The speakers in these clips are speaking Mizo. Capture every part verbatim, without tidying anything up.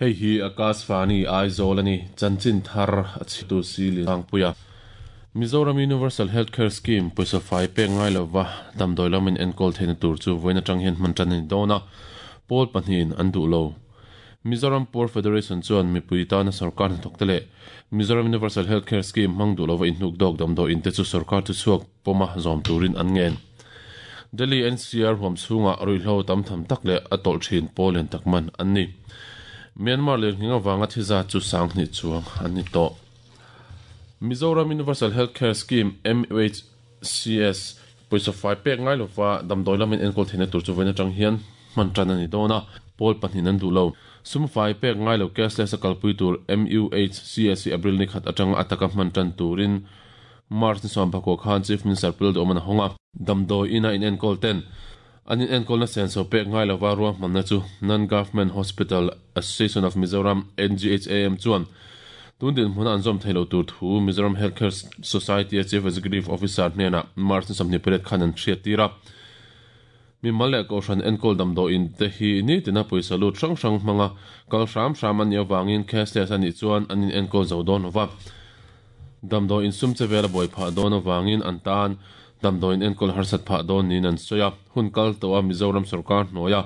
Hei hi Akashvani Aizawl ani chanchin thar a chhitu si Langpuia Mizoram Universal Healthcare Scheme poisa fai pek ngai lova damdawi lamin enkawl theihna tur chu vawiin atang hian hman tan ani dawn a pawl pahnihin an duh lo Mizoram Poor Federation chuan mipui tana sarkar hnathawk te leh Mizoram Universal Healthcare Scheme hmang duh lova inhnuk dawk damdawi in te chu sarkar chu chhuak pawma zawm turin an ngen Delhi N C R huam chhunga ruihhlo tam tham tak leh a tawlh thin pawl lian tak man an ni Myanmar leh hninga wanga thiza chu sanghni chuang an ni to Mizoram Universal Healthcare Scheme M U H C S poisa fai pek ngai lova damdawi lamin enkawl theihna tur chu vawiin atang hian hman tan ani dawn a pawl pahnih an duh lo sum fai pek ngai lo cashless a kalpui tur M U H C S April ni khat atanga ataka hman tan turin March ni sawm pakua khan Chief Minister Pul Duhoma a hawnga damdawi ina in enkawl ten anin enkawl na senso pek ngai lova ruang hmanna chu Non-Government Hospital Association of Mizoram N G H A M chuan tun din hmuna an zawm theilo tur thu Mizoram Healthcare Society Chief Executive Officer hnena March ni sawmhnih pariat khan an hriat tir a mi mal leh kohhran enkawl damdawi in te hi ni tina pawisa lut hrang hrang hmanga kal hram hram ani awangin cashless ani chuan anin enkawl zo dawn lova damdawi in sum che vel a buai phah dawn awangin an tan damdawi in enkawl harsat phah dawn niin an sawi a hun kal to a Mizoram sarkar hnuaia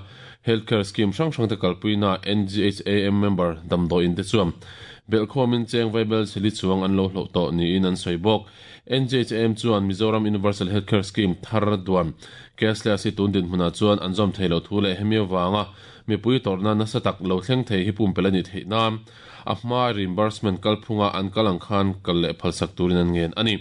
healthcare scheme hrang hrang te kalpuina N G H A M member damdawi in te chuan belkhawmin cheng vaibel chili chuang an lo hloh tawh niin an sawi bawk N G H A M chuan Mizoram Universal Healthcare Scheme thar duan cashless hi tun din hmunah chuan an zawm theilo thu leh hemi awanga mipui tawrhna nasa tak lo thleng thei hi pumpel ani theih nan a hma reimbursement kalphunga an kalang khan kal leh phalsak turin an ngen ani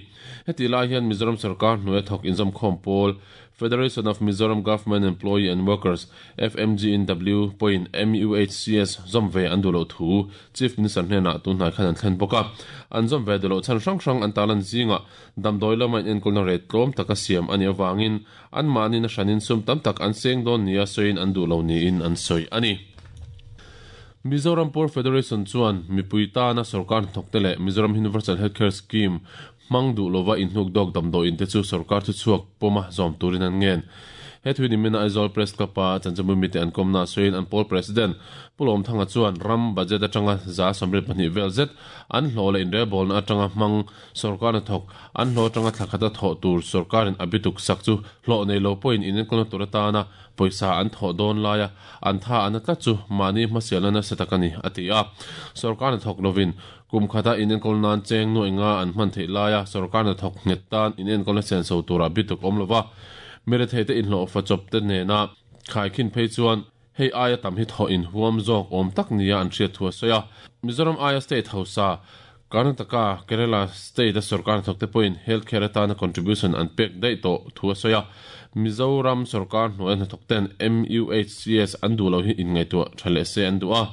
heti lai hian Mizoram sarkar hnuai thawk inzawm khawm pawl Federation of Mizoram Government Employee and Workers F M G N W point M U H C S zomve an dulo thu Chief Minister hnena tunhnai khan an thlen bawk a an zomve dulo chan hrang hrang an talan zinga damdawi lama in enkawl na ret tlawm taka siam ani awangin an mahni na hranin sum tam tak an seng dawn nia sawiin an duhlo niin an sawi ani Mizoram Poor Federation chuan mipui tana sarkar hnathawk te leh Mizoram Universal Healthcare Scheme hmang duh lova inhnuk dawk damdawi in te chu sarkar chu chhuak pawma zawm turin an ngen he thui ni mina Aizawl Press Club a chanchinbu mite an kawmna sawiin an pawl president Pulawm Thanga chuan ram budget atanga za sawmriat pahnih vel zet an hlawh leh inrelbawlna atanga hmang sarkar hnathawk an hlawh atanga thlakhata thawh tur sarkarin a bituk sak chu hlawh nei lo pawhin in enkawlna tur atana pawisa an thawh dawn laia an tha an tlat chu mahni hmasialna nasa tak ani a ti a sarkar hnathawk lovin kum khata in enkawl nan cheng nuai nga an hman theih laia sarkar hnathawk nghet tan in enkawlna senso tura bituk awm lova mere thei te inhlawh fa chawp te nena khaikhin phei chuan hei aia tam hi thaw in huam zawk awm tak nia an hriat thu a sawi a Mizoram aia state hausa Karnataka Kerala state a sarkar hnathawk te pawhin healthcare atana contribution an pek daih tawh thu a sawi a Mizoram sarkar hnuai hnathawk ten M U H C S an duh lo hi inngaihtuah tha leh se an duh a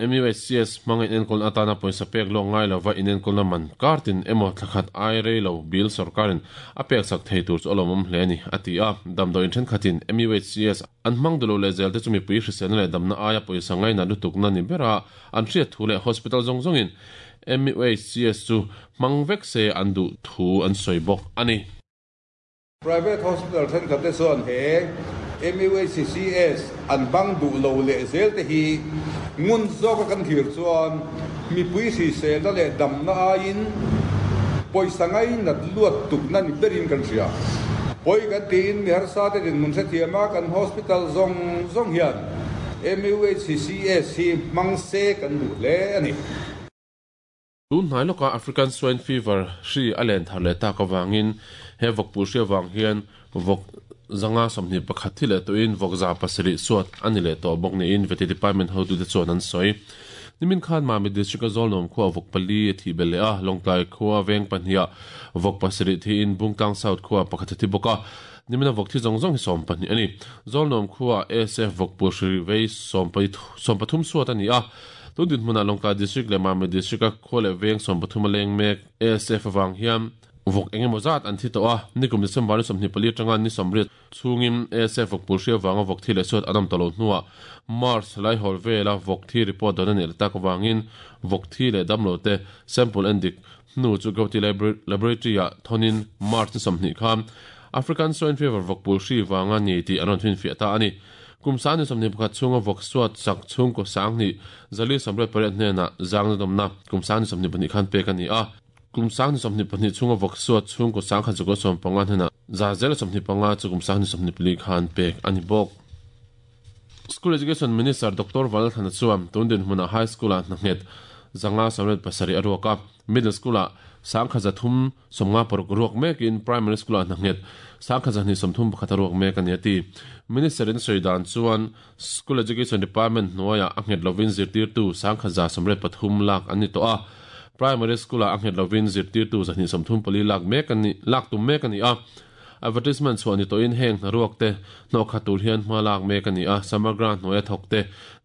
M U H C S hmanga in enkawl atana pawisa pek lawk ngai lova in enkawlna man kartin emaw thlakhat ai rei lo bil sarkarin a pek sak thei tur chu a lawmawm hle ani a ti a damdawi in thenkhatin M U H C S an hmang duh lo leh zel te chu mipui hriselna leh damna aia pawisa ngaina lutukna ni bera an hriat thu leh hospital zawng zawngin M U H C S chu hmang vek se an duh thu an sawi bawk ani Private hospital thenkhat te chuan he M U H C S an bang duh lo leh zel te hi ngun zawk a kan thir chuan mipui hriselna leh damna aiin pawisa ngai nat luat tukna ni berin kan hria pawi kan tiin mi harsa te dinhmun hrethiam a kan hospital zawng zawng hian M U H C S hi hmang se kan duh hle ani tun hnai lawka African Swine Fever hri a len thar leh tak awangin he vawkpui hri awang hian vawk zanga sawmhnih pakhat thi leh tuin vawk za pasarih suat ani leh tawh bawk niin veti department hotu te chuan an sawi nimin khan Mami district a Zawlnuam khua vawk pali a thih bel leh a Lawngtlai khua veng pahnih vawk pasarih thiin Bungtlang South khua pakhat a thi bawk a nimina vawk thi zawng zawng hi sawm pahnih ani Zawlnuam khua A S F vawkpui hri vei sawm sawm pathum suat ani a tun din hmuna Lawngtlai district leh Mami district a khua leh veng sawm pathum a leng mek A S F awang hian Vok engemaw zat an thi tawh a, nikum December ni sawmhnih pali atanga ni sawmriat chhungin A S F vawk pul hria vanga vawk thi leh suat an awm tawh lo hnuah March lai hawl vela vawk thi report dawn a nih tak avangin vawk thi leh damlo te sample en dik hnu chu Guwahati Laboratory ah thawnin March ni sawmhnih khan African Swine Fever vawk pul hri vanga ni tih an rawn finfiah ta a ni. Kum sang ni sawmhnih pakhat chhunga vawk suat sak chhungkaw sang hnih zali sawmriat pariat hnenah zangna dawmna kum sang ni sawmhnih pahnih khan pek a ni a. Kum sang ni sawmhnih pahnih chhunga vawk suat chhungkaw sang khat zakua sawm panga hnenah za zela sawmhnih panga chu kum sang ni sawmhnih pali khan pek a ni bawk. School Education Minister Doctor Vanlalthana chuan tun dinhmunah high school ah hna nghet zanga sawmriat pasarih a ruak a, middle school ah sangkha zathum sawmnga paruk ruak mekin primary school ah hna nghet sangkha zahnih sawmthum pakhat a ruak mek a ni a ti. Minister in sawi dan chuan School Education Department hnuaiah a nghet lovin zirtirtu sangkha za sawmriat pathum lak an ni tawh a, primary school ah a nghet lovin zirtirtu zahnih sawmthum pali lak mek a ni lak tum mek a ni a. Advertisement chuan ni tawhin heng hna ruak te hnawh khat tur hian hma lak mek a ni a, samagra hnuaia thawk te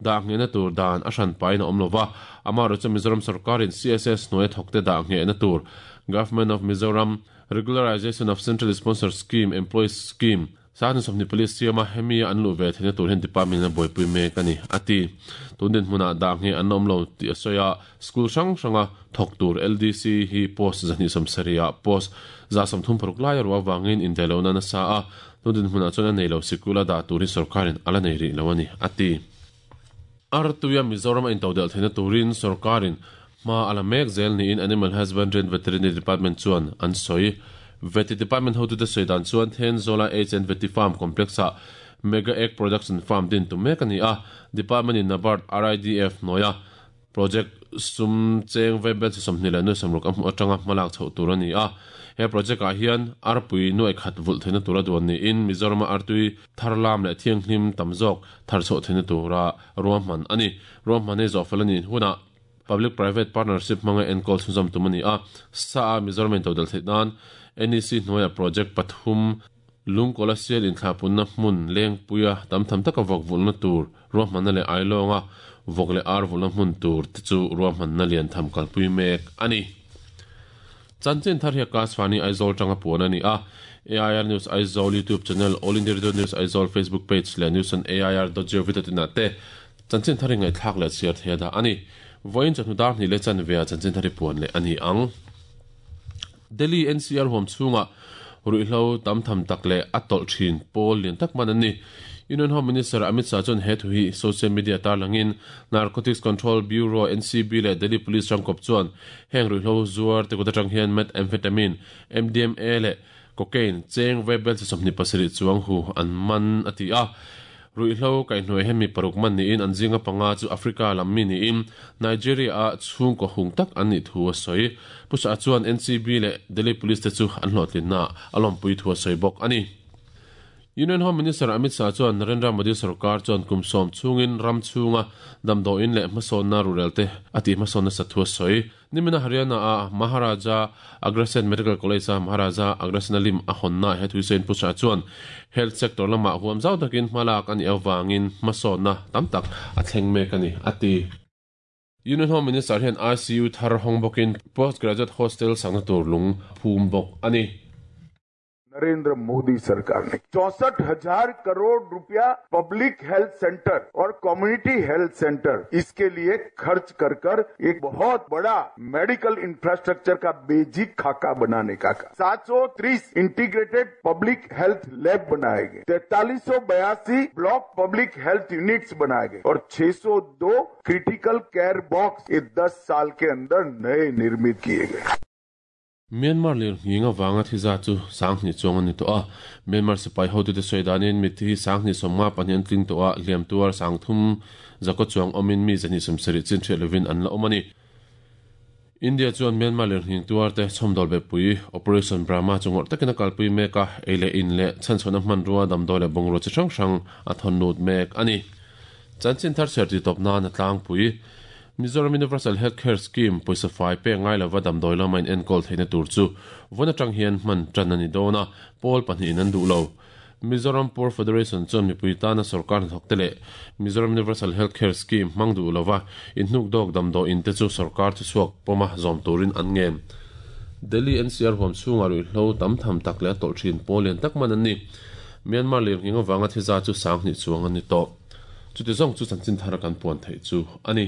dah nghehna tur dan a hran pain a awm lova, amaherawhchu chu Mizoram sarkarin C S S hnuaia thawk te dah nghehna tur Government of Mizoram Regularization of Central Sponsor Scheme Employees Scheme sangni sawmhnih pali siama hemi an luh ve theihna tur hian department a buaipui mek a ni a ti. Tun dinhmunah dah ngheh an awm lo tih a sawi a, school hrang hranga thawk tur L D C hi post zahnih sawmsarih ah post za sawmthum paruk lai a ruah avangin indaihlohna nasa a, tun dinhmunah chuan a nei lo sikul a dah tur hi sarkarin ala nei rih lo a ni a ti. Artuia Mizoram a intodelh theihna turin sarkarin hma ala mek zel niin Animal Husbandry and Veterinary Department chuan an sawi. Veti Department hotute sawi dan chuan Thenzola H and Veti Farm Complex ah Mega Egg Production Farm din tum mek a ni a, Department in Nabard R I D F hnuaia project sum cheng vaibel chi sawmhnih leh nuai sawmruk a hmuh atanga hmalak chhoh tur a ni a. He project ah hian arpui nuai khat vulh theihna tura duan niin Mizoram a artui thar lam leh thianghlim tam zawk thar chhoh theihna tura ruahman a ni. Ruahman hi zawh fel a ni hunah Public Private Partnership hmanga enkawl chhunzawm tum a ni a, sa a Mizoram intodelh theih nan N E C hnuaia project pathum lungkawla sial inthlapunna hmun lengpuia tam tham taka vawk vulhna tur ruahmanna leh ailawnga vawk leh ar vulhna hmun tur te chu ruahmanna lian tham kalpui mek a ni. Chanchin thar hi Akashvani Aizawl tanga puan a ni a, A I R News Aizawl YouTube channel, All India Radio News Aizawl Facebook page leh news on A I R dot gov dot in ah te chanchin thar hi ngaihthlak leh chhiar thei a dah a ni. Vawiin chawhnu dar hnih leh chanve ah chanchin thar hi puan leh a ni ang. Delhi N C R huam chhunga ruihhlo tam tham tak leh a tawlh thin pawl lian tak man an ni. Union Home Minister Amit Shah chuan he thu hi social media tarlangin Narcotics Control Bureau N C B leh Delhi Police rangkawp chuan heng ruihhlo zuar te kut atang hian methamphetamine, M D M A leh cocaine cheng vaibel chi sawmhnih pasarih chuang hu an man a ti a. Ruihhlo kaihhnuai hemi paruk man niin an zinga panga chu Africa lam mi niin Nigeria a chhungkaw hung tak an nih thu a sawi. Pu Shah chuan N C B leh Delhi Police te chu an hlawhtlinna a lawmpui thu a sawi bawk a ni. Union Home Minister Amit Shah chuan Narendra Modi sarkar chuan kum sawm chhungin ram chhunga damdawiin leh hmasawnna rurel te a tih hmasawnna sathu a sawi. Nimina Haryana a Maharaja Agrasen Medical College a Maharaja Agrasen lim a hawnna he thu sawiin Pu Shah chuan health sector lamah huam zau takin hmalak a nih avangin hmasawnna tam tak a thleng mek a ni a ti. Union Home Minister hian I C U thar hawng bawkin postgraduate hostel sakna tur lung phum bawk a ni. Narendra Modi सरकार ने चौसठ हजार करोड़ रुपया public health centre और community health centre इसके लिए खर्च कर कर एक बहुत बड़ा मेडिकल इंफ्रास्ट्रक्चर का बेसिक खाका बनाने का काम। सात सौ तीस integrated public health lab बनाए गए, तैतालीस सौ बयासी block public health units बनाए गए और छह सौ दो critical care box ये दस साल के अंदर नए निर्मित किए गए। Myanmar lir nginga wanga thiza chu sanghni chuang ani to a Myanmar sipai hotu te soidanin mithi sanghni somnga pahnih an tling to a hliam tuar sangthum zako chuang awmin mi zahnih sawmsarih chin hriat lovin an la awm a ni. India chuan Myanmar lir nghing tuar te chhawmdawl be pui Operation Brahma chu ngawrh takin a kalpui mek a ei leh in leh chhanchhuahna hmanrua damdawi leh bungraw chi hrang hrang a thawn lut mek a ni. Chanchin thar chhiar ti tawp nan a tlangpui Mizoram Universal Healthcare Scheme pawisa fai pek ngai lova damdawi lama in enkawl theihna tur chu vawn atang hian hman tan a ni dawn a, pawl pahnih in an duh lo. Mizoram Poor Federation chuan mipui tana sarkar hnathawk te leh Mizoram Universal Healthcare Scheme hmang duh lova in hnuk dawk damdawi in te chu sarkar chu chhuak pawma zawm turin an ngen. Delhi N C R huam chhunga ruihhlo tam tham tak leh a tawlh thin pawl lian tak man an ni. Myanmar lirnghing avanga thiza chu sang hnih chuang an ni tawh. Chuti zawng chu chanchin thar kan puan theih chu a ni.